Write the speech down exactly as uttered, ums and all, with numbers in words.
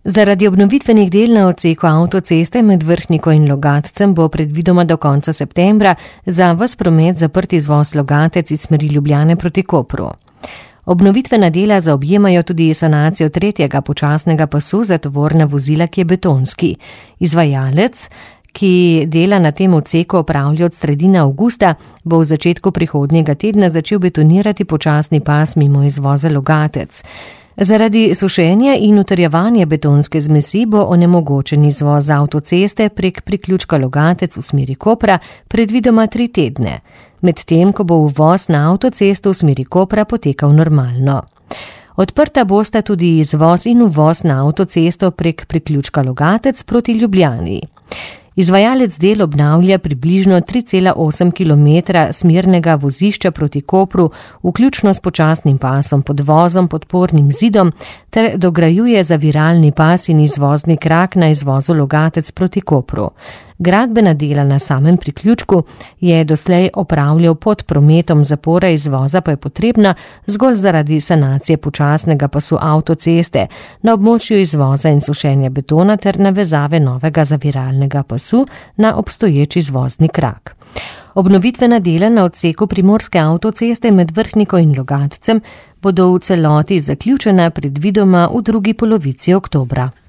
Zaradi obnovitvenih del na odseku avtoceste med Vrhniko in Logatcem bo predvidoma do konca septembra za ves promet zaprt izvoz Logatec iz smeri Ljubljane proti Kopru. Obnovitvena dela zaobjemajo tudi sanacijo tretjega počasnega pasu za tovorna vozila, ki je betonski. Izvajalec, ki dela na tem odseku opravlja od sredine avgusta, bo v začetku prihodnjega tedna začel betonirati počasni pas mimo izvoza Logatec. Zaradi sušenja in utrjevanja betonske zmesi bo onemogočen izvoz avtoceste prek priključka Logatec v smeri Kopra predvidoma tri tedne, medtem ko bo uvoz na avtocesto v smeri Kopra potekal normalno. Odprta bosta tudi izvoz in uvoz na avtocesto prek priključka Logatec proti Ljubljani. Izvajalec del obnavlja približno tri cela osem kilometra smernega vozišča proti Kopru, vključno s počasnim pasom, podvozom, podpornim zidom, ter dograjuje zaviralni pas in izvozni krak na izvozu Logatec proti Kopru. Gradbena dela na samem priključku je doslej opravljal pod prometom, zapora izvoza pa je potrebna zgolj zaradi sanacije počasnega pasu avtoceste na območju izvoza in sušenja betona ter navezave novega zaviralnega pasu na obstoječ izvozni krak. Obnovitvena dela na odseku primorske avtoceste med Vrhniko in Logatcem bodo v celoti zaključena predvidoma v drugi polovici oktobra.